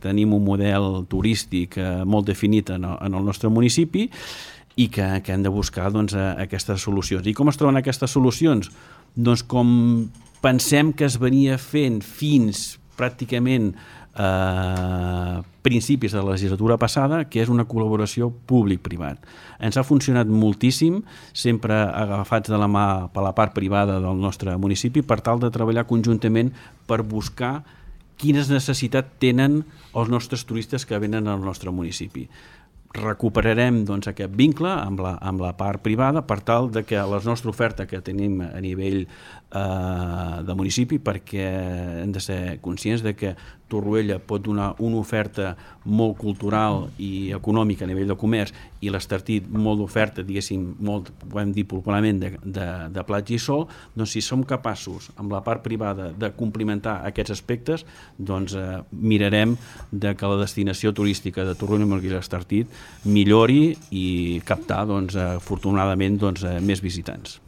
tenim un model turístic molt definit en el nostre municipi i que hem de buscar aquestes solucions. I com es troben aquestes solucions? Doncs com pensem que es venia fent fins pràcticament principis de la legislatura passada, que és una col·laboració públic-privat. Ens ha funcionat moltíssim, sempre agafats de la mà per la part privada del nostre municipi, per tal de treballar conjuntament per buscar quines necessitats tenen els nostres turistes que venen al nostre municipi. Recuperarem aquest vincle amb la part privada per tal de que la nostra oferta que tenim a nivell de municipi, perquè hem de ser conscients de que Torroella pot donar una oferta molt cultural i econòmica a nivell de comerç i l'Estartit molt d'oferta, diguéssim, molt, podem dir popularment, de platja i sol, doncs si som capaços amb la part privada de complementar aquests aspectes, doncs mirarem de que la destinació turística de Torroella de Montgrí i l'Estartit millori i captar, afortunadament, més visitants.